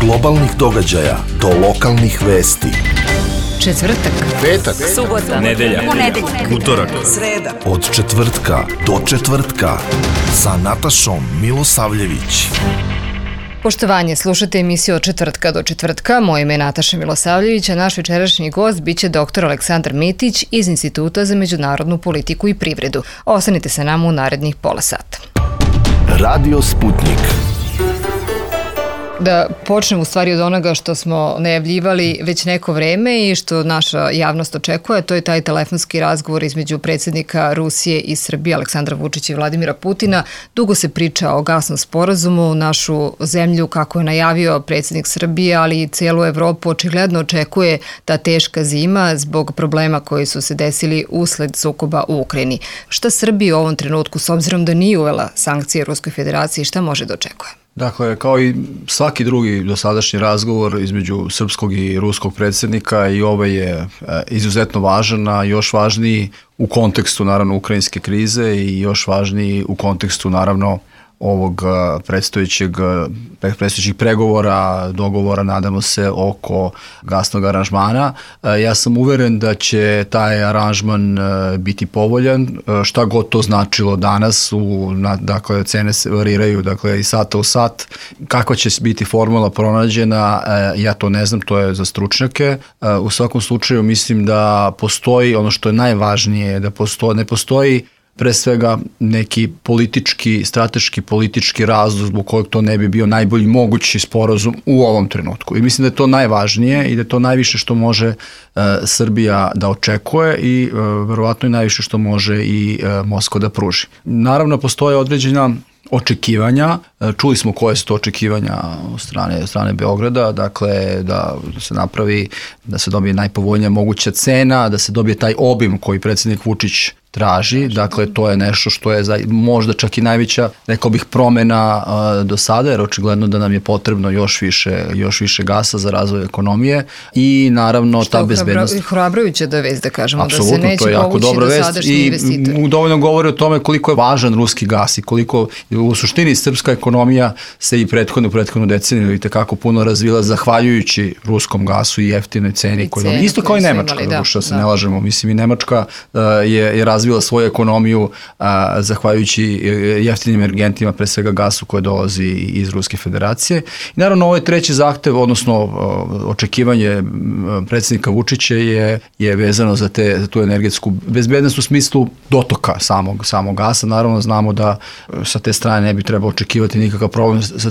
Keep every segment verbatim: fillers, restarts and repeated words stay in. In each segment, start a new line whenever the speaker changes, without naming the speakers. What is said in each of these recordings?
globalnih događaja do lokalnih vesti.
Četvrtak,
petak,
subota,
nedelja,
ponedeljak,
utorak,
sreda.
Od četvrtka do četvrtka sa Natašom Milosavljević.
Poštovanje, slušate emisiju od četvrtka do četvrtka. Moje ime je Nataša Milosavljević, a naš večerašnji gost biće doktor Aleksandar Mitić iz Instituta za međunarodnu politiku i privredu. Ostanite sa nama u narednih pola sata.
Radio Sputnik.
Da počnemo u stvari od onoga što smo najavljivali već neko vreme i što naša javnost očekuje, to je taj telefonski razgovor između predsjednika Rusije i Srbije, Aleksandra Vučića i Vladimira Putina. Dugo se priča o gasnom sporazumu, našu zemlju, kako je najavio predsjednik Srbije, ali i cijelu Evropu očigledno očekuje ta teška zima zbog problema koji su se desili usled sukoba u Ukrajini. Šta Srbija u ovom trenutku, s obzirom da nije uvela sankcije Ruskoj federaciji, šta može da očekuje?
Dakle, kao i svaki drugi dosadašnji razgovor između srpskog i ruskog predsjednika, i ovaj je izuzetno važan, a još važniji u kontekstu naravno ukrajinske krize i još važniji u kontekstu naravno ovog predstojećeg, predstojećih pregovora, dogovora, nadamo se, oko gasnog aranžmana. Ja sam uveren da će taj aranžman biti povoljan, šta god to značilo danas, u, dakle, cene se variraju, dakle, i sata u sat. Kakva će biti formula pronađena, ja to ne znam, to je za stručnjake. U svakom slučaju mislim da postoji, ono što je najvažnije, da postoji, ne postoji pre svega neki politički, strateški politički razlog zbog kojeg to ne bi bio najbolji mogući sporazum u ovom trenutku. I mislim da je to najvažnije i da je to najviše što može uh, Srbija da očekuje i uh, verovatno i najviše što može i uh, Moskva da pruži. Naravno, postoje određena očekivanja. Čuli smo koje su to očekivanja od strane, od strane Beograda, dakle da se napravi, da se dobije najpovoljnija moguća cena, da se dobije taj obim koji predsjednik Vučić traži, dakle to je nešto što je za, možda čak i najveća, rekao bih, promena uh, do sada, jer očigledno da nam je potrebno još više, još više gasa za razvoj ekonomije i naravno što ta bezbednost.
Što hrabrujuće da vez, da kažemo,
apsolutno,
da se neće povući dosadašnji investitori.
I dovoljno govori o tome koliko je važan ruski gas i koliko u suštini srpska ekonomija se i prethodnu, prethodnu deceniju i tekako puno razvila zahvaljujući ruskom gasu i jeftinoj ceni. Koju ceni isto kao i Nemačka, imali, da, što se da. ne lažemo. Mislim, i Nemačka uh, je, je razvila svoju ekonomiju a, zahvaljujući jeftinim energentima, pre svega gasu koji dolazi iz Ruske federacije. I naravno ovaj treći zahtev, odnosno o, očekivanje predsjednika Vučića je, je vezano za, te, za tu energetsku bezbednost u smislu dotoka samog, samog gasa. Naravno znamo da sa te strane ne bi trebalo očekivati nikakav problem za,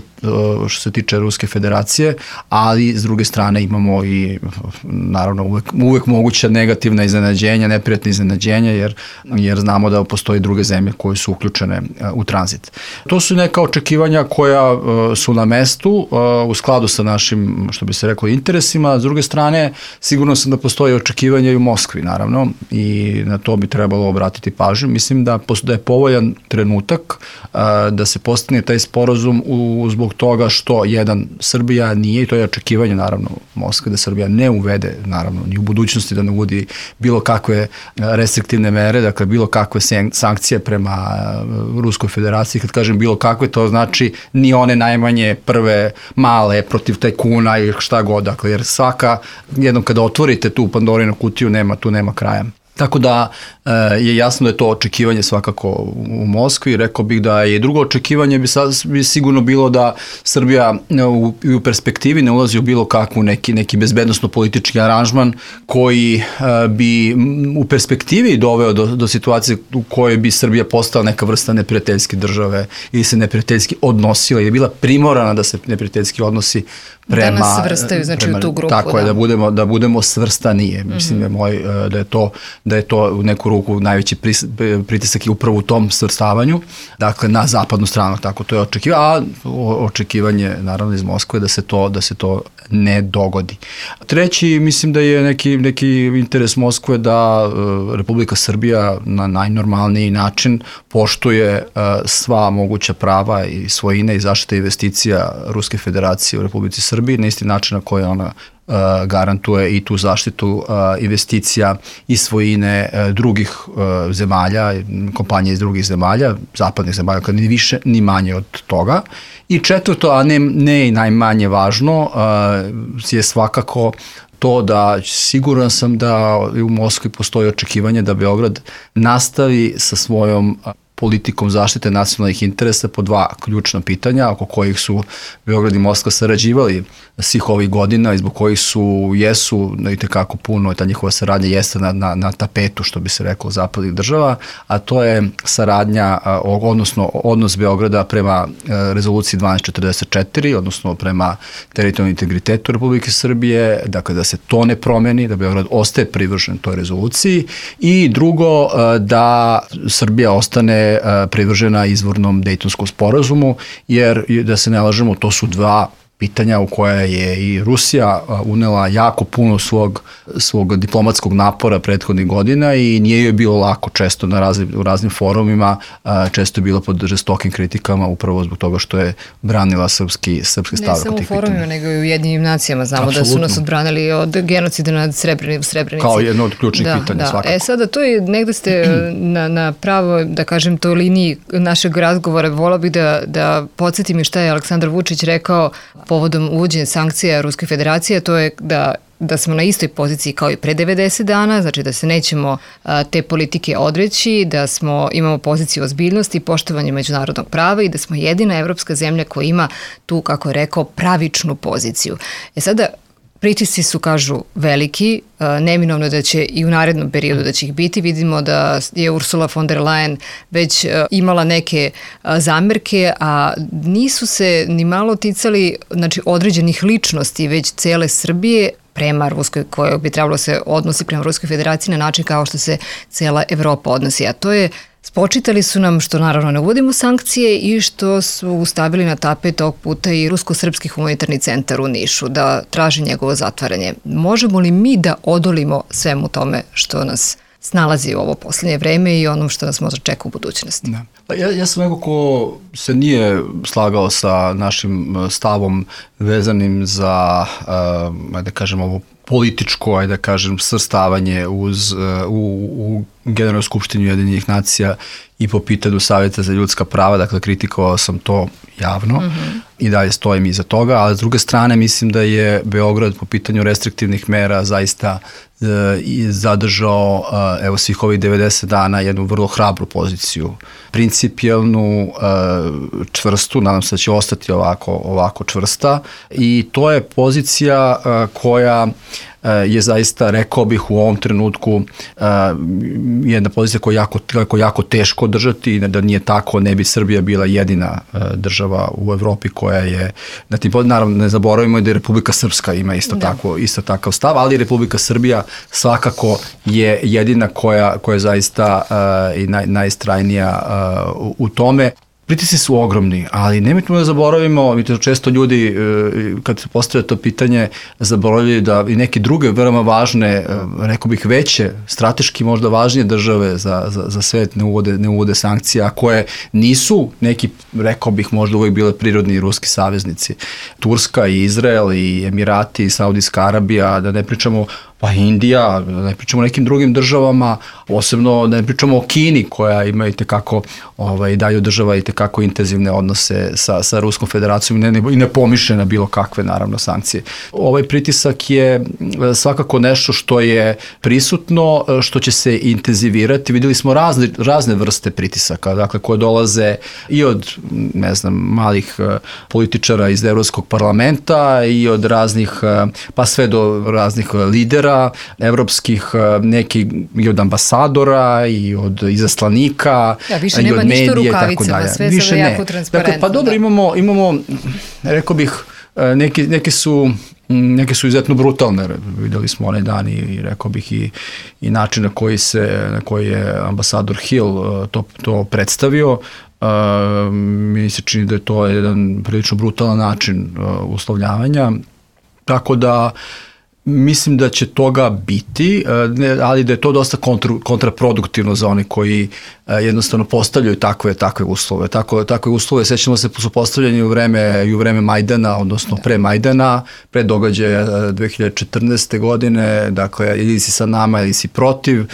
što se tiče Ruske federacije, ali s druge strane imamo i naravno uvek, uvek moguća negativna iznenađenja, neprijatna iznenađenja, jer jer znamo da postoji druge zemlje koje su uključene u tranzit. To su neka očekivanja koja su na mestu u skladu sa našim, što bi se reklo, interesima. S druge strane, sigurno sam da postoji očekivanja i u Moskvi, naravno, i na to bi trebalo obratiti pažnju. Mislim da, da je povoljan trenutak da se postigne taj sporazum u, zbog toga što, jedan, Srbija nije, i to je očekivanje, naravno, Moskve, da Srbija ne uvede, naravno, ni u budućnosti da ne uvodi bilo kakve restriktivne mere, dakle, bilo kakve sankcije prema Ruskoj federaciji. Kad kažem bilo kakve, to znači ni one najmanje prve male protiv tajkuna i šta god, dakle, jer svaka, jednom kada otvorite tu Pandorinu kutiju, nema, tu nema kraja. Tako da e, je jasno da je to očekivanje svakako u Moskvi. Rekao bih da je drugo očekivanje bi, sad, bi sigurno bilo da Srbija u, u perspektivi ne ulazi u bilo kakvu neki, neki bezbednosno-politički aranžman koji e, bi u perspektivi doveo do, do situacije u kojoj bi Srbija postala neka vrsta neprijateljske države ili se neprijateljski odnosila ili je bila primorana da se neprijateljski odnosi prema...
Da nas svrstaju, znači prema, u tu grupu.
Tako da. je, da budemo, da budemo svrstanije. Mm-hmm. Mislim da je, moj, da je to da je to u neku ruku najveći pritisak i upravo u tom svrstavanju, dakle na zapadnu stranu, tako to je očekivanje, a očekivanje naravno iz Moskve da se to, da se to ne dogodi. Treći, mislim da je neki, neki interes Moskve da uh, Republika Srbija na najnormalniji način poštuje uh, sva moguća prava i svojine i zaštite investicija Ruske federacije u Republici Srbiji na isti način na koji ona garantuje i tu zaštitu investicija i svojine drugih zemalja, kompanije iz drugih zemalja, zapadnih zemalja, kad ni više ni manje od toga. I četvrto, a ne, ne i najmanje važno, je svakako to da siguran sam da u Moskvi postoji očekivanje da Beograd nastavi sa svojom politikom zaštite nacionalnih interesa po dva ključna pitanja oko kojih su Beograd i Moskva sarađivali svih ovih godina i zbog kojih su, jesu i tekako puno, ta njihova saradnja jeste na, na, na tapetu, što bi se reklo, zapadnih država, a to je saradnja, odnosno odnos Beograda prema rezoluciji dvanaest četrdeset četiri, odnosno prema teritorijalnom integritetu Republike Srbije, dakle da se to ne promeni, da Beograd ostaje privržen toj rezoluciji i drugo, da Srbija ostane privržena izvornom Dejtonskom sporazumu, jer da se ne lažemo, to su dva pitanja u koje je i Rusija unela jako puno svog, svog diplomatskog napora prethodnih godina i nije joj bilo lako, često na raznim, u raznim forumima, često je bilo pod žestokim kritikama upravo zbog toga što je branila srpski, srpski stav.
Ne samo u forumima, nego i u Jedinim nacijama. Znamo Absolutno. Da su nas odbranili od genocida nad Srebrenici. Srebrenici.
Kao jedno od ključnih
da,
pitanja
da.
svakako.
E sada, to je, negde ste na, na pravo, da kažem, toj liniji našeg razgovora. Vola bih da, da podsjetim i šta je Aleksandar Vučić rekao povodom uvođenja sankcija Ruske federacije, to je da da smo na istoj poziciji kao i pre devedeset dana, znači da se nećemo a, te politike odreći, da smo imamo poziciju ozbiljnosti i poštovanja međunarodnog prava i da smo jedina evropska zemlja koja ima tu, kako je rekao, pravičnu poziciju. E sada, pritisci su, kažu, veliki, neminovno da će i u narednom periodu da će ih biti. Vidimo da je Ursula von der Leyen već imala neke zamerke, a nisu se ni malo ticali, znači, određenih ličnosti, već cele Srbije prema Ruskoj, koja bi trebalo se odnosi prema Ruskoj federaciji na način kao što se cela Evropa odnosi. A to je, spočitali su nam što naravno ne uvodimo sankcije i što su stavili na tapet ovog puta i Rusko-srpski humanitarni centar u Nišu, da traži njegovo zatvaranje. Možemo li mi da odolimo svemu tome što nas snalazi u ovo poslednje vreme i onom što nas možda čeka u budućnosti?
Da. Pa ja, ja sam neko ko se nije slagao sa našim stavom vezanim za, uh, da kažem, ovo političko, ajde da kažem, svrstavanje uz, u, u Generalnoj skupštini Ujedinjenih nacija i po pitanju Savjeta za ljudska prava, dakle kritikovao sam to javno mm-hmm. i dalje stojim iza toga, ali s druge strane mislim da je Beograd po pitanju restriktivnih mera zaista e, zadržao e, evo svih ovih devedeset dana jednu vrlo hrabru poziciju, principijelnu, e, čvrstu, nadam se da će ostati ovako, ovako čvrsta i to je pozicija e, koja je zaista, rekao bih, u ovom trenutku uh, jedna pozicija koja je jako, jako, jako teško držati i da nije tako, ne bi Srbija bila jedina uh, država u Evropi koja je, na tim, naravno ne zaboravimo da je Republika Srpska ima isto, da. tako, isto takav stav, ali Republika Srbija svakako je jedina koja, koja je zaista uh, i naj, najistrajnija uh, u tome. Pritisci su ogromni, ali nemojte da zaboravimo, mi to često ljudi, kad se postavlja to pitanje, zaboravljaju da i neke druge veoma važne, rekao bih veće, strateški možda važnije države za, za, za svet ne uvode, ne uvode sankcije, a koje nisu neki, rekao bih, možda uvijek bile prirodni ruski saveznici. Turska i Izrael i Emirati i Saudijska Arabija, da ne pričamo pa Indija, da ne pričamo o nekim drugim državama, posebno da ne pričamo o Kini koja ima i tekako, ovaj, daju država i tekako intenzivne odnose sa, sa Ruskom federacijom i ne, ne, ne pomišlja na bilo kakve, naravno, sankcije. Ovaj pritisak je svakako nešto što je prisutno, što će se intenzivirati. Videli smo razne, razne vrste pritisaka, dakle, koje dolaze i od, ne znam, malih političara iz Evropskog parlamenta i od raznih, pa sve do raznih lidera evropskih, neki i od ambasadora i od izaslanika
ja, više
i
nema
od medija i tako dalje.
Sve više sada jako transparentno.
Dakle, pa dobro, imamo, imamo, rekao bih, neki, neki su neke su izuzetno brutalne, videli smo onaj dan i, i rekao bih i, i način na koji se, na koji je ambasador Hill to, to predstavio. Uh, mi se čini da je to jedan prilično brutalan način uh, uslovljavanja, tako da Mislim da će toga biti, ali da je to dosta kontra, kontraproduktivno za one koji jednostavno postavljaju takve takve uslove. Tako, takve uslove, sećamo se, su postavljeni u vreme, i u vreme Majdana, odnosno pre Majdana, pre događaja dve hiljade četrnaeste. godine, dakle, ili si sa nama ili si protiv,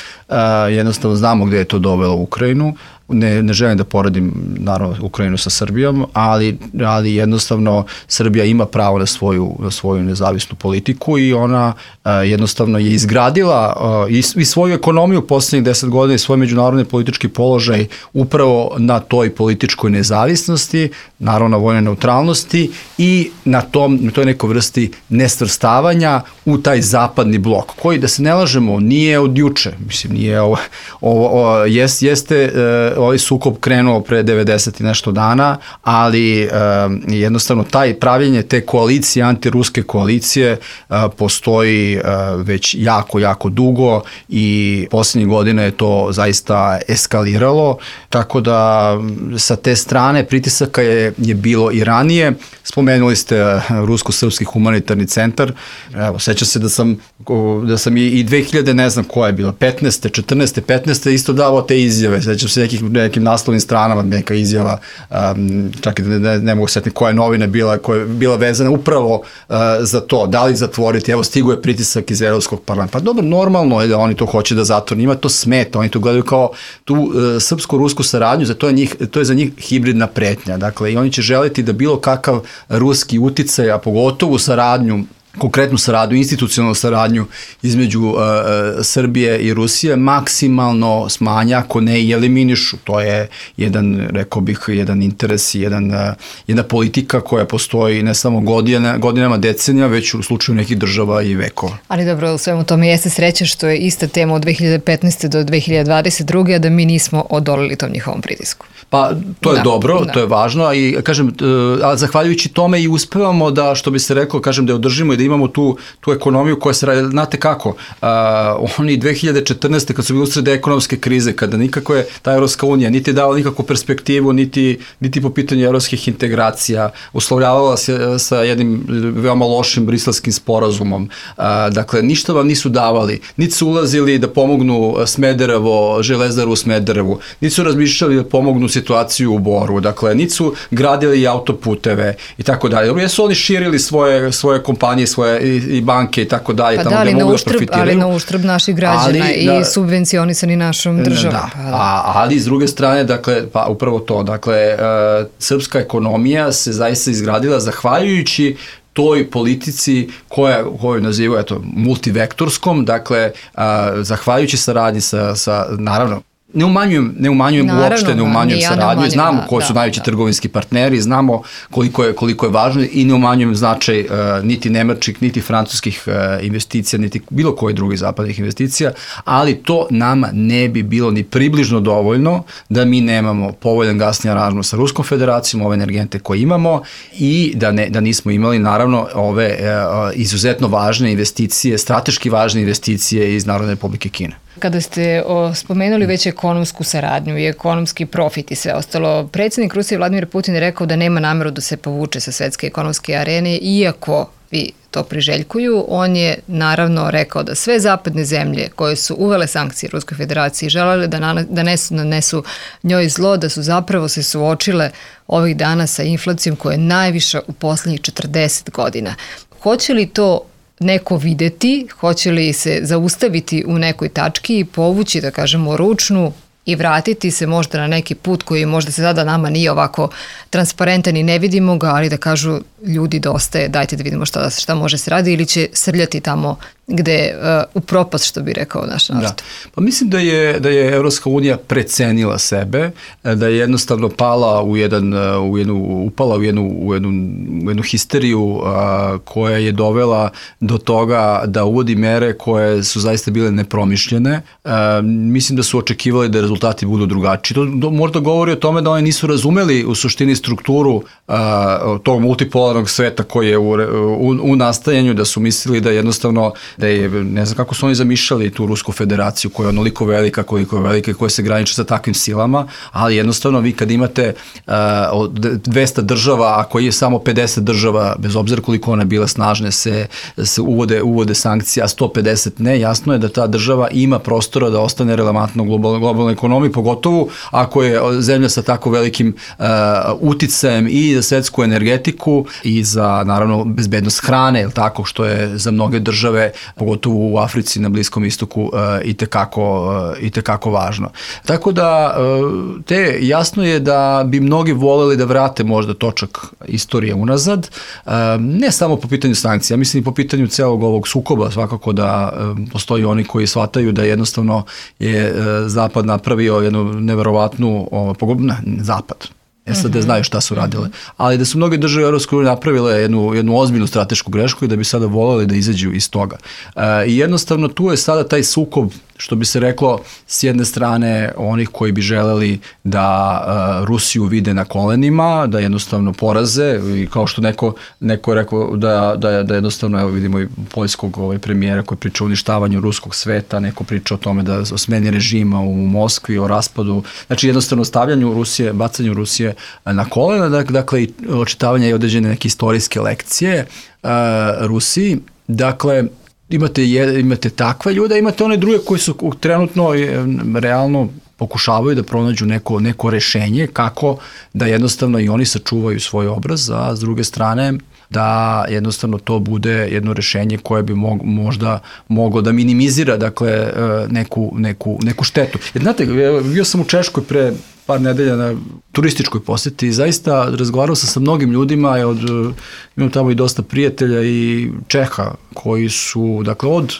jednostavno znamo gde je to dovelo Ukrajinu. Ne, ne želim da poredim, naravno, Ukrajinu sa Srbijom, ali, ali jednostavno Srbija ima pravo na svoju, na svoju nezavisnu politiku i ona uh, jednostavno je izgradila uh, i, i svoju ekonomiju u poslednjih deset godina i svoj međunarodni politički položaj upravo na toj političkoj nezavisnosti, naravno na vojnoj neutralnosti i na, tom, na toj nekoj vrsti nesvrstavanja u taj zapadni blok, koji, da se ne lažemo, nije od juče, mislim, nije ovo, ovo, ovo jest, jeste uh, ovaj sukob krenuo pre devedeset i nešto dana, ali um, jednostavno taj pravljenje te koalicije, antiruske koalicije uh, postoji uh, već jako, jako dugo i poslednjih godina je to zaista eskaliralo, tako da sa te strane pritisaka je, je bilo i ranije. Spomenuli ste uh, Rusko-srpski humanitarni centar. Evo, sećam se da sam, da sam i, i dve hiljade, ne znam koja je bila, petnaeste, četrnaeste, petnaeste isto davao te izjave. Sećam se nekih nekim naslovnim stranama, neka izjava, um, čak i ne, ne, ne mogu setiti koja je novina bila, koja je bila vezana upravo uh, za to, da li zatvoriti, evo stigo je pritisak iz Evropskog parlamenta. Pa dobro, normalno je da oni to hoće da zatvore, njima to smeta, oni to gledaju kao tu uh, srpsko-rusku saradnju, za to je, njih, to je za njih hibridna pretnja, dakle, i oni će želiti da bilo kakav ruski uticaj, a pogotovo saradnju, konkretnu saradnju, institucionalnu saradnju između uh, Srbije i Rusije maksimalno smanja, ako ne i eliminišu. To je jedan, rekao bih, jedan interes i jedan, uh, jedna politika koja postoji ne samo godina, godinama, decenija, već u slučaju nekih država i vekova.
Ali dobro, u svemu tome jeste sreća što je ista tema od dve hiljade petnaeste. do dve hiljade dvadeset druge. a da mi nismo odolili tom njihovom pritisku.
Pa to je
da,
dobro,
da.
to je važno i kažem, a zahvaljujući tome i uspevamo da, što bi se rekao, kažem, da je održimo i da imamo tu, tu ekonomiju koja se radi, znate kako, uh, oni dve hiljade četrnaeste. kad su bili usred ekonomske krize, kada nikako je ta Evropska unija niti dala nikakvu perspektivu, niti, niti po pitanju evropskih integracija, uslovljavala se sa jednim veoma lošim briselskim sporazumom, uh, dakle, ništa vam nisu davali, niti su ulazili da pomognu Smederevo, Železaru u Smederevu, niti su razmišljali da pomognu situaciju u Boru, dakle, niti su gradili autoputeve i tako dalje. Dobro, jesu oni širili svoje, svoje kompanije, svoje i, i banke i tako dalje,
pa
tamo
da,
gde mogu da profitiraju.
Ali na uštrb naših građana ali, i da, subvencionisani našom državom.
Da,
pa da.
A, ali s druge strane, dakle, pa upravo to, dakle, uh, srpska ekonomija se zaista izgradila zahvaljujući toj politici koja, koju nazivaju, eto, multivektorskom, dakle, uh, zahvaljujući saradnji sa, sa, naravno, Ne umanjujem, ne umanjujem Naravno, uopšte, ne umanjujem ja saradnju, ne znamo da, koji su da, najveći da. trgovinski partneri, znamo koliko je, koliko je važno i ne umanjujem značaj uh, niti nemačkih, niti francuskih uh, investicija, niti bilo koje drugih zapadnih investicija, ali to nama ne bi bilo ni približno dovoljno da mi nemamo povoljan gasni aranžman sa Ruskom federacijom, ove energente koje imamo i da, ne, da nismo imali naravno ove uh, izuzetno važne investicije, strateški važne investicije iz Narodne Republike Kine.
Kada ste o, spomenuli već ekonomsku saradnju i ekonomski profit i sve ostalo, predsjednik Rusije Vladimir Putin je rekao da nema nameru da se povuče sa svetske ekonomske arene, iako vi to priželjkuju. On je naravno rekao da sve zapadne zemlje koje su uvele sankcije Ruskoj federaciji želele da nanesu, nanesu njoj zlo, da su zapravo se suočile ovih dana sa inflacijom koja je najviša u poslednjih četrdeset godina. Hoće li to neko videti, hoće li se zaustaviti u nekoj tački i povući, da kažemo, ručnu i vratiti se možda na neki put koji možda se sada nama nije ovako transparentan i ne vidimo ga, ali da kažu ljudi dosta je, dajte da vidimo šta, šta može se radi, ili će srljati tamo gde uh, u propast, što bi rekao naš narod.
Da. Pa mislim da je, da je Evropska unija precenila sebe, da je jednostavno pala u jedan, u jednu, upala u jednu, u jednu, u jednu histeriju uh, koja je dovela do toga da uvodi mere koje su zaista bile nepromišljene. Uh, mislim da su očekivali da rezultati budu drugačiji. To, to možda govori o tome da oni nisu razumeli u suštini strukturu uh, tog multipolarnog sveta koji je u, u, u nastajanju, da su mislili da jednostavno da je, ne znam kako su oni zamišljali tu Rusku federaciju koja je onoliko velika, koliko je velika i koja se graniči sa takvim silama, ali jednostavno vi kad imate uh, dvesta država, a koji je samo pedeset država, bez obzira koliko ona bila snažne, se, se uvode, uvode sankcije, a sto pedeset ne, jasno je da ta država ima prostora da ostane relevantno u globalnoj, globalnoj ekonomiji, pogotovo ako je zemlja sa tako velikim uh, uticajem i za svetsku energetiku i za, naravno, bezbednost hrane, ili tako, što je za mnoge države, pogotovo u Africi, na Bliskom istoku, uh, i tekako, uh, i tekako važno. Tako da, uh, te, jasno je da bi mnogi voleli da vrate možda točak istorije unazad, uh, ne samo po pitanju sankcija, mislim i po pitanju celog ovog sukoba, svakako da uh, postoji oni koji shvataju da jednostavno je uh, Zapad napravio jednu neverovatnu, uh, pogubna, Zapad, S A D znaju šta su radile, ali da su mnoge države u Europskoj uniji napravile jednu, jednu ozbiljnu stratešku grešku i da bi sada voleli da izađu iz toga. E, I jednostavno tu je sada taj sukob, što bi se reklo, s jedne strane onih koji bi želeli da uh, Rusiju vide na kolenima, da jednostavno poraze, i kao što neko, neko je rekao da, da, da jednostavno, evo vidimo i poljskog ovaj, premijera koji priča o uništavanju ruskog sveta, neko priča o tome da o smeni režima u Moskvi, o raspadu, znači jednostavno stavljanju Rusije, bacanju Rusije na kolena, dakle i očitavanje i određene neke istorijske lekcije uh, Rusiji, dakle imate, imate takve ljude, imate one druge koji su trenutno realno pokušavaju da pronađu neko, neko rešenje kako da jednostavno i oni sačuvaju svoj obraz, a s druge strane da jednostavno to bude jedno rešenje koje bi mog, možda moglo da minimizira, dakle, neku, neku, neku štetu. Jer znate, bio sam u Češkoj pre par nedelja na turističkoj poseti i zaista razgovarao sam sa mnogim ljudima, od, imam tamo i dosta prijatelja i Čeha koji su, dakle, od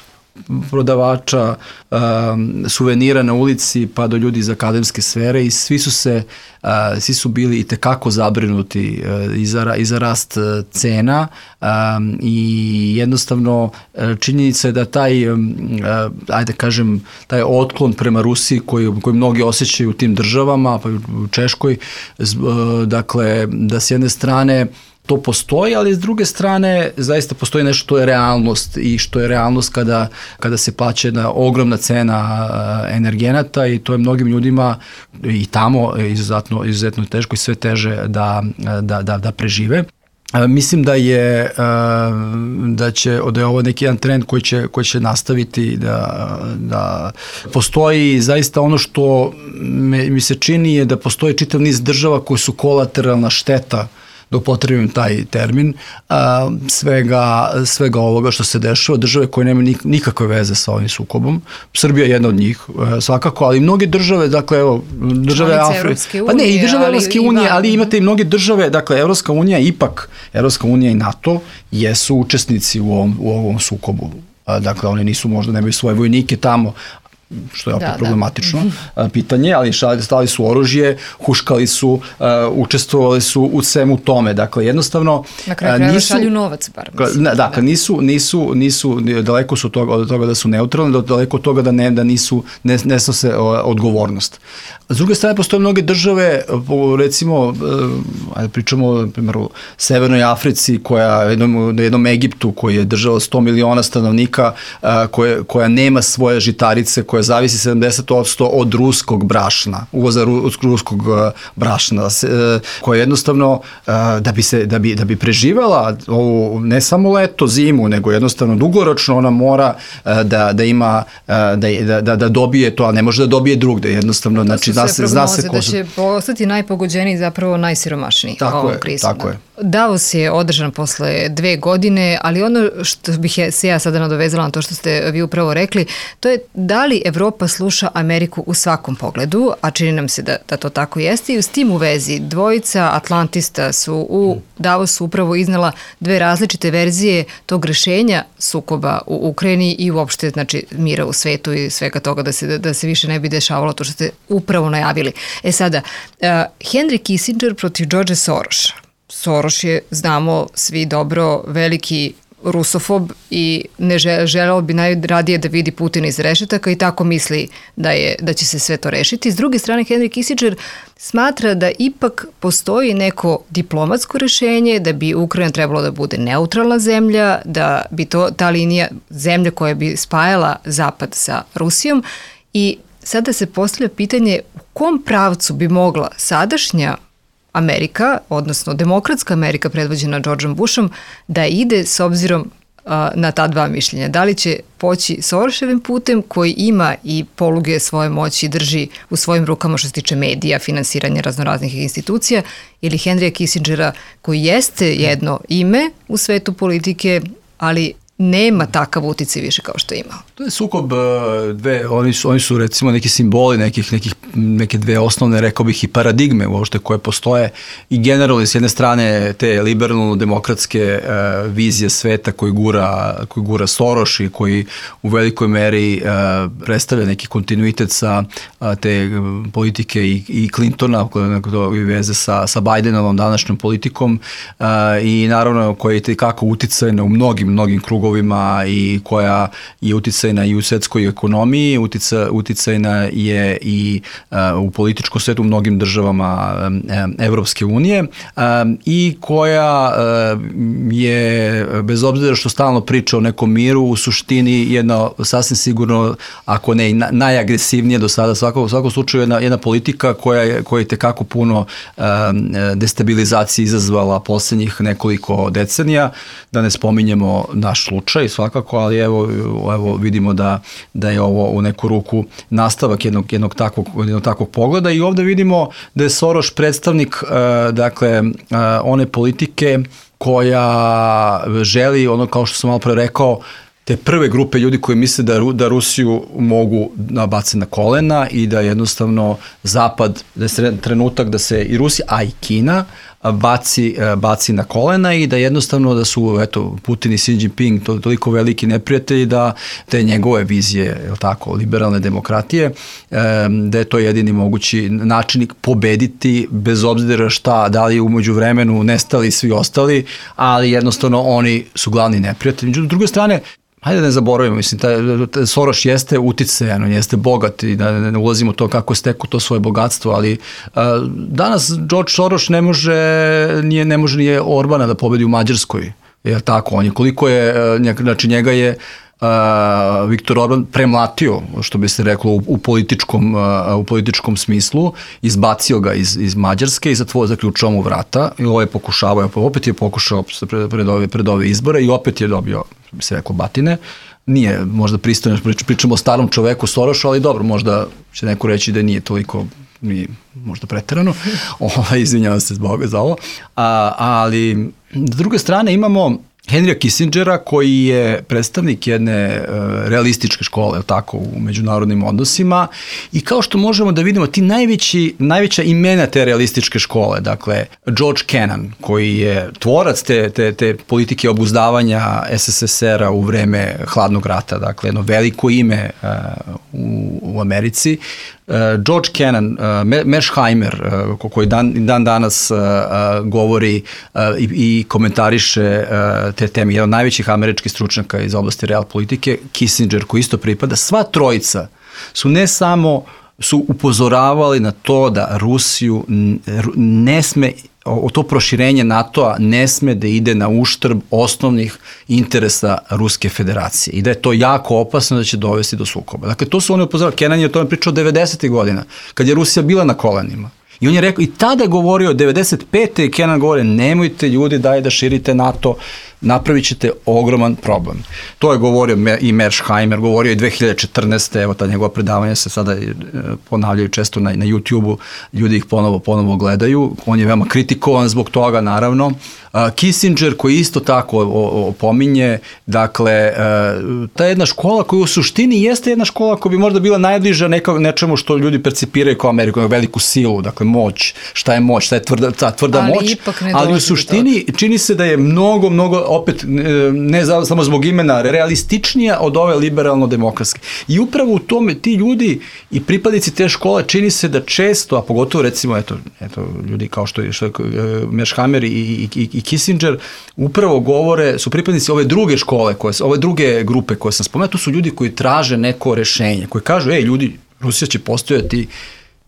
prodavača um, suvenira na ulici pa do ljudi iz akademske sfere i svi su se uh, svi su bili i tekako zabrinuti uh, i, za, i za rast uh, cena um, i jednostavno uh, činjenica je da taj um, uh, ajde kažem taj otklon prema Rusiji koji, koji mnogi osjećaju u tim državama, pa u Češkoj, uh, dakle da s jedne strane to postoji, ali s druge strane zaista postoji nešto što je realnost i što je realnost kada, kada se plaća jedna ogromna cena energenata i to je mnogim ljudima i tamo izuzetno, izuzetno teško i sve teže da, da, da, da prežive. Mislim da je da će da je ovo neki jedan trend koji će, koji će nastaviti da, da postoji zaista ono što me, mi se čini je da postoji čitav niz država koji su kolateralna šteta, da upotrebim taj termin, a, svega, svega ovoga što se dešava, države koje nemaju nikakve veze sa ovim sukobom. Srbija je jedna od njih, svakako, ali i mnoge države, dakle, evo, države Afrike, pa ne, i države Evropske unije, ali imate i mnoge države, dakle, Evropska unija, ipak, Evropska unija i NATO jesu učesnici u ovom, u ovom sukobu. Dakle, oni nisu, možda nemaju svoje vojnike tamo, što je opet da, problematično da. pitanje, ali stali su oružje, huškali su, uh, učestvovali su u svemu tome. Dakle, jednostavno
na kraju krajeva šalju novac, bar. Mislim,
da, dakle, nisu, nisu, nisu, daleko su toga, od toga da su neutralni, daleko od toga da ne, da nisu, ne, ne snose odgovornost. S druge strane, postoje mnoge države, recimo, ajde pričamo, na primjer, u Severnoj Africi, koja, jednom, jednom Egiptu, koji je država sto miliona stanovnika, koje, koja nema svoje žitarice, koja zavisi sedamdeset posto od ruskog brašna, uvoza ruskog brašna, koja jednostavno, da bi, se, da bi, da bi preživala ovu, ne samo leto, zimu, nego jednostavno dugoročno ona mora da, da ima, da, da, da dobije to, a ne može da dobije drugde, jednostavno, znači, zna se, zna se ko
da će postati najpogođeniji, zapravo najsiromašniji
ovom krizom. Tako je.
Davos je održan posle dve godine, ali ono što bih je, se ja sada nadovezala na to što ste vi upravo rekli, to je da li Evropa sluša Ameriku u svakom pogledu, a čini nam se da, da to tako jeste, i s tim u vezi dvojica atlantista su u Davosu upravo iznala dve različite verzije tog rešenja sukoba u Ukrajini i uopšte, znači, mira u svetu i svega toga da se, da se više ne bi dešavalo to što ste upravo najavili. E sada, uh, Henry Kissinger protiv George Sorosa. Soros je, znamo svi dobro, veliki rusofob i ne želeo bi najradije da vidi Putina iz rešetaka i tako misli da, je, da će se sve to rešiti. S druge strane, Henry Kissinger smatra da ipak postoji neko diplomatsko rešenje, da bi Ukrajina trebalo da bude neutralna zemlja, da bi to, ta linija zemlje koja bi spajala Zapad sa Rusijom i sada se postavlja pitanje u kom pravcu bi mogla sadašnja Amerika, odnosno demokratska Amerika predvođena Georgeom Bushom, da ide s obzirom a, na ta dva mišljenja. Da li će poći Soroševim putem koji ima i poluge svoje moći i drži u svojim rukama što se tiče medija, finansiranja raznoraznih institucija, ili Henrya Kissingera koji jeste jedno ime u svetu politike, ali nema takav uticaj više kao što je imao.
To je sukob dve, oni su, oni su recimo neki simboli nekih, nekih, neke dve osnovne, rekao bih, i paradigme uopšte koje postoje i generalno s jedne strane te liberalno-demokratske uh, vizije sveta koji gura, koji gura Soros i koji u velikoj meri uh, predstavlja neki kontinuitet sa uh, te politike i, i Clintona i veze sa, sa Bidenovom današnjom politikom uh, i naravno koja je tekako uticajna u mnogim, mnogim krugovima i koja je uticajna i u svetskoj ekonomiji, utica, uticajna je i uh, u političkom svetu u mnogim državama um, Evropske unije um, i koja uh, je, bez obzira što stalno priča o nekom miru, u suštini jedna sasvim sigurno, ako ne i na, najagresivnije do sada, svako, u svakom slučaju jedna, jedna politika koja je, koja je tekako puno um, destabilizacije izazvala poslednjih nekoliko decenija, da ne spominjemo naš slučaj svakako, ali evo, evo vidimo da, da je ovo u neku ruku nastavak jednog, jednog, takvog, jednog takvog pogleda i ovde vidimo da je Soros predstavnik uh, dakle, uh, one politike koja želi, ono kao što sam malo pre rekao, te prve grupe ljudi koji misle da, da Rusiju mogu nabaciti na kolena i da jednostavno Zapad, da je trenutak da se i Rusija, a i Kina baci, baci na kolena i da jednostavno da su eto, Putin i Xi Jinping to, toliko veliki neprijatelji da te njegove vizije, je li tako, liberalne demokratije, da je to jedini mogući način pobediti bez obzira šta, da li umeđu vremenu nestali svi ostali, ali jednostavno oni su glavni neprijatelji. Međutim, s druge strane, hajde da ne zaboravimo, mislim, taj, taj Soros jeste uticajan, on jeste bogat i da ne ulazimo u to kako je stekao to svoje bogatstvo, ali uh, danas George Soros ne može, nije, ne može nije Orbana da pobedi u Mađarskoj, je tako, on je, koliko je, uh, znači njega je Uh, Viktor Orban premlatio, što bi se reklo u, u, političkom, uh, u političkom smislu, izbacio ga iz, iz Mađarske i zatvorio, zaključao mu vrata i ovo je pokušavao, opet je pokušao pred, pred, ove, pred ove izbore i opet je dobio, što bi se reklo, batine. Nije možda pristojno, pričamo o starom čoveku Sorošu, ali dobro, možda će neko reći da nije toliko, nije možda preterano, o, izvinjavam se zbog za ovo, A, ali s druge strane imamo Henrya Kissingera koji je predstavnik jedne uh, realističke škole, tako, u međunarodnim odnosima i kao što možemo da vidimo ti najveći, najveća imena te realističke škole, dakle George Kennan koji je tvorac te, te, te politike obuzdavanja S S S R-a u vreme hladnog rata, dakle jedno veliko ime uh, u, u Americi, Uh, George Kennan, uh, Mearsheimer, uh, koji dan, dan danas uh, uh, govori uh, i, i komentariše uh, te teme, jedan od najvećih američkih stručnjaka iz oblasti real politike, Kissinger koji isto pripada, sva trojica su ne samo su upozoravali na to da Rusiju ne sme, o to proširenje NATO-a ne sme da ide na uštrb osnovnih interesa Ruske federacije i da je to jako opasno da će dovesti do sukoba. Dakle, to su oni upozoravali. Kennan je o tome pričao devedesetih godina, kad je Rusija bila na kolenima. I on je rekao, i tada je govorio, devedeset pete i Kennan govore, nemojte ljudi, daj da širite NATO, napravit ćete ogroman problem. To je govorio i Mearsheimer, govorio i dve hiljade četrnaeste. Evo ta njegova predavanja se sada ponavljaju često na, na YouTube-u, ljudi ih ponovo, ponovo gledaju, on je veoma kritikovan zbog toga, naravno. Kissinger koji isto tako opominje, dakle, ta jedna škola koja u suštini jeste jedna škola koja bi možda bila najbliža neka, nečemu što ljudi percipiraju kao Ameriku, veliku silu, dakle moć, šta je moć, šta je tvrda, ta tvrda ali moć, ali u suštini čini se da je mnogo, mnogo, opet ne samo zbog imena, realističnija od ove liberalno-demokratske. I upravo u tome ti ljudi i pripadnici te škole čini se da često, a pogotovo recimo, eto, eto ljudi kao što je, što je Mearsheimer i, i, i Kissinger upravo govore, su pripadnici ove druge škole, koje, ove druge grupe koje sam spomenuo, to su ljudi koji traže neko rešenje, koji kažu, ej ljudi, Rusija će postojati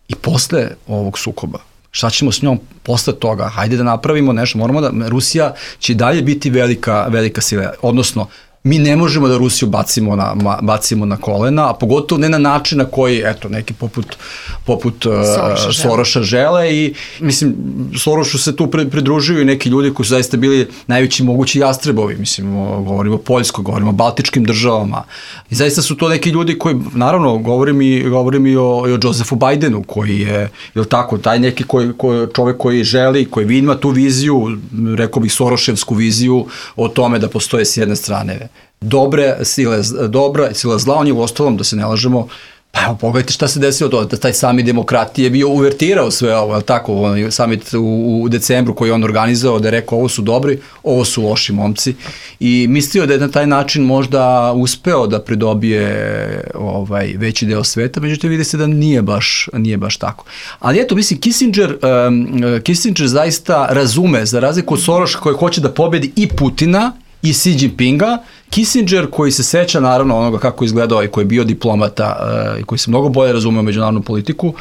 i posle ovog sukoba. Šta ćemo s njom posle toga? Hajde da napravimo nešto, moramo da, Rusija će dalje biti velika, velika sila, odnosno, mi ne možemo da Rusiju bacimo na, bacimo na kolena, a pogotovo ne na način na koji, eto, neki poput, poput Soroša, Soroša žele i, mislim, Sorošu se tu pridružuju i neki ljudi koji su zaista bili najveći mogući jastrebovi, mislim, govorimo o Poljskoj, govorimo o Baltičkim državama i zaista su to neki ljudi koji, naravno, govorim i, govorim i o, i o Josefu Bidenu, koji je, je li tako, taj neki koji, koji, čovek koji želi, koji ima tu viziju, rekao bih Soroševsku viziju o tome da postoje s jedne strane dobre sile, dobra sila zla, on je u ostalom, da se ne lažemo, pa evo, pogledajte šta se desilo to, da taj sami demokratije je bio uvertirao sve ovo, je tako, samit u, u decembru koji je on organizovao, da je rekao ovo su dobri, ovo su loši momci i mislio da je na taj način možda uspeo da pridobije ovaj, veći deo sveta, međutim vidi se da nije baš, nije baš tako. Ali eto, mislim, Kissinger, um, Kissinger zaista razume, za razliku od Soroša koji hoće da pobedi i Putina, i Xi Jinpinga, Kissinger koji se seća naravno onoga kako je izgledao i koji je bio diplomata i uh, koji se mnogo bolje razumeo međunarodnu politiku,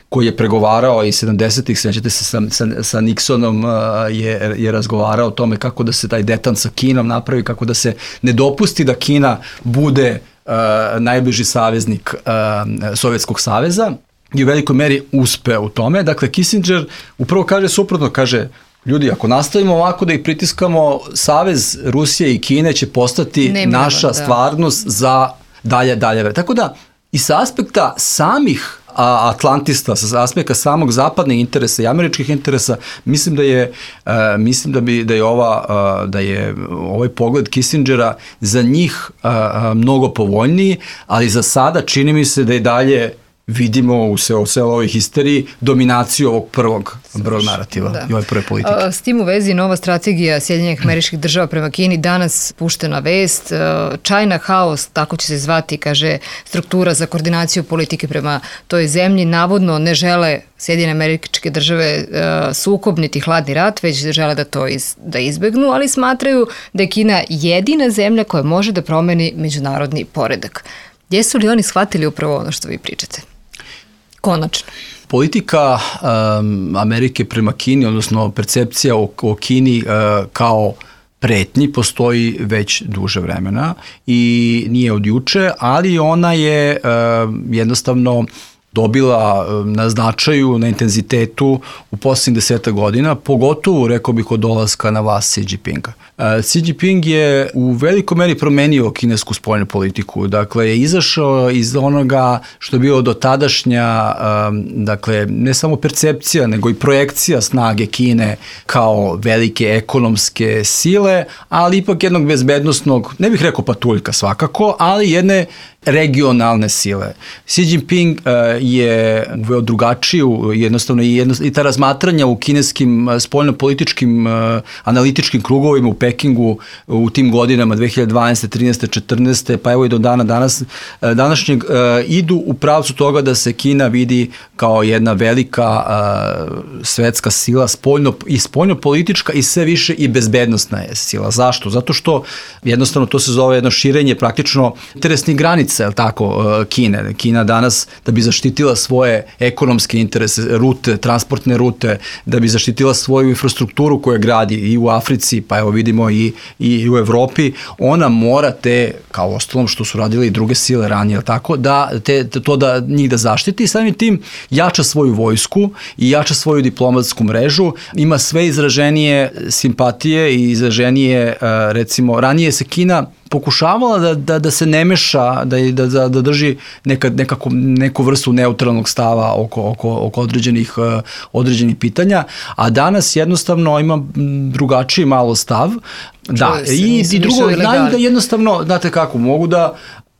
koji je pregovarao i sedamdesetih, sećate se sa, sa, sa Nixonom uh, je, je razgovarao o tome kako da se taj detan sa Kinom napravi, kako da se ne dopusti da Kina bude uh, najbliži saveznik uh, Sovjetskog saveza i u velikoj meri uspeo u tome. Dakle, Kissinger upravo kaže suprotno, kaže ljudi, ako nastavimo ovako da ih pritiskamo, savez Rusije i Kine će postati Nemiran, naša da. stvarnost za dalje, dalje. Tako da, i sa aspekta samih a, atlantista, sa aspekta samog zapadnih interesa i američkih interesa, mislim da je, uh, mislim da bi, da je, ova, uh, da je ovaj pogled Kissingera za njih uh, mnogo povoljniji, ali za sada čini mi se da je dalje vidimo u celoj ovoj histeriji dominaciju ovog prvog, prvog narativa da. i ove prve politike.
S tim u vezi nova strategija Sjedinjenih Američkih Država prema Kini, danas puštena vest, China House, tako će se zvati, kaže, struktura za koordinaciju politike prema toj zemlji, navodno ne žele Sjedinjene Američke Države sukob niti hladni rat, već žele da to iz, da izbegnu, ali smatraju da je Kina jedina zemlja koja može da promeni međunarodni poredak. Jesu li oni shvatili upravo ono što vi pričate? Konačno.
Politika um, Amerike prema Kini, odnosno percepcija o, o Kini uh, kao pretnji postoji već duže vremena i nije od juče, ali ona je uh, jednostavno dobila na značaju, na intenzitetu u posljednjih deseta godina, pogotovo, rekao bih, od dolaska na vlast Xi Jinpinga. Xi Jinping je u velikoj meri promenio kinesku spoljnu politiku, dakle je izašao iz onoga što je bilo do tadašnja, dakle ne samo percepcija, nego i projekcija snage Kine kao velike ekonomske sile, ali ipak jednog bezbednosnog, ne bih rekao patuljka svakako, ali jedne regionalne sile. Xi Jinping uh, je uveo drugačiju, jednostavno i, jedno, i ta razmatranja u kineskim uh, spoljno-političkim uh, analitičkim krugovima u Pekingu u tim godinama dve hiljade dvanaeste, trinaeste, četrnaeste, pa evo i do dana danas, uh, današnjeg uh, idu u pravcu toga da se Kina vidi kao jedna velika uh, svetska sila, spoljno, i spoljno-politička i sve više i bezbednostna je sila. Zašto? Zato što jednostavno to se zove jedno širenje praktično interesnih granica, je li tako, Kine. Kina danas, da bi zaštitila svoje ekonomske interese, rute, transportne rute, da bi zaštitila svoju infrastrukturu koju gradi i u Africi, pa evo vidimo i, i u Evropi, ona mora te, kao ostalom što su radile i druge sile ranije, je li tako, da te, to da njih da zaštiti i samim tim jača svoju vojsku i jača svoju diplomatsku mrežu, ima sve izraženije simpatije i izraženije, recimo, ranije se Kina pokušavala da, da, da se ne meša, da, da, da, da drži neka, nekako, neku vrstu neutralnog stava oko, oko, oko određenih, uh, određenih pitanja, a danas jednostavno ima drugačiji malo stav. Da, se, i, i drugo, znaju da jednostavno, znate kako, mogu da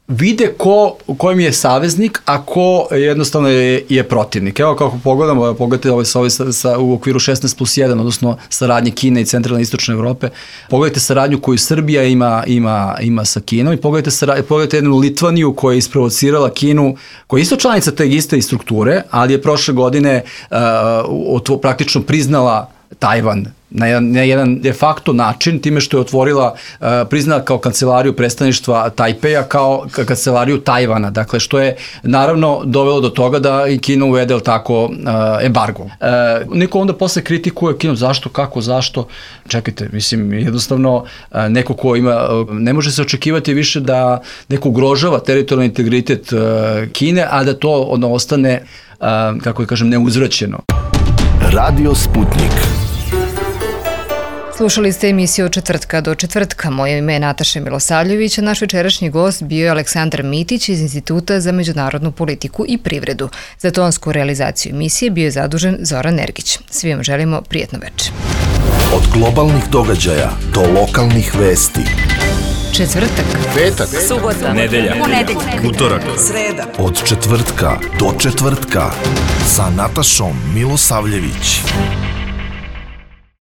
vide ko, kojim je saveznik, a ko jednostavno je, je protivnik. Evo kako pogledamo, pogledajte ovaj, ovaj sa, sa, u okviru šesnaest plus jedan, odnosno saradnje Kine i centralne i istočne Evrope, pogledajte saradnju koju Srbija ima, ima, ima sa Kinom i pogledajte, saradnju, pogledajte jednu Litvaniju koja je isprovocirala Kinu, koja je isto članica te iste strukture, ali je prošle godine uh, praktično priznala Tajvan na jedan, na jedan de facto način, time što je otvorila, uh, priznala kao kancelariju predstavništva Tajpeja kao kancelariju Tajvana, dakle što je naravno dovelo do toga da i Kina uvede tako uh, embargo. Uh, neko onda posle kritikuje Kinu, zašto, kako, zašto, čekajte, mislim, jednostavno uh, neko ko ima, uh, ne može se očekivati više da neko ugrožava teritorijalni integritet uh, Kine, a da to ono ostane, uh, kako da kažem, neuzvraćeno.
Radio Sputnik.
Slušali ste emisiju od četvrtka do četvrtka. Moje ime je Nataša Milosavljević, a naš večerašnji gost bio je Aleksandar Mitić iz Instituta za međunarodnu politiku i privredu. Za tonsku realizaciju emisije bio je zadužen Zoran Nergić. Svi vam želimo prijatno večer.
Od globalnih događaja do lokalnih vesti.
Četvrtak,
petak,
subota, nedelja, ponedeljak,
utorak,
sreda.
Od četvrtka do četvrtka sa Natašom Milosavljević.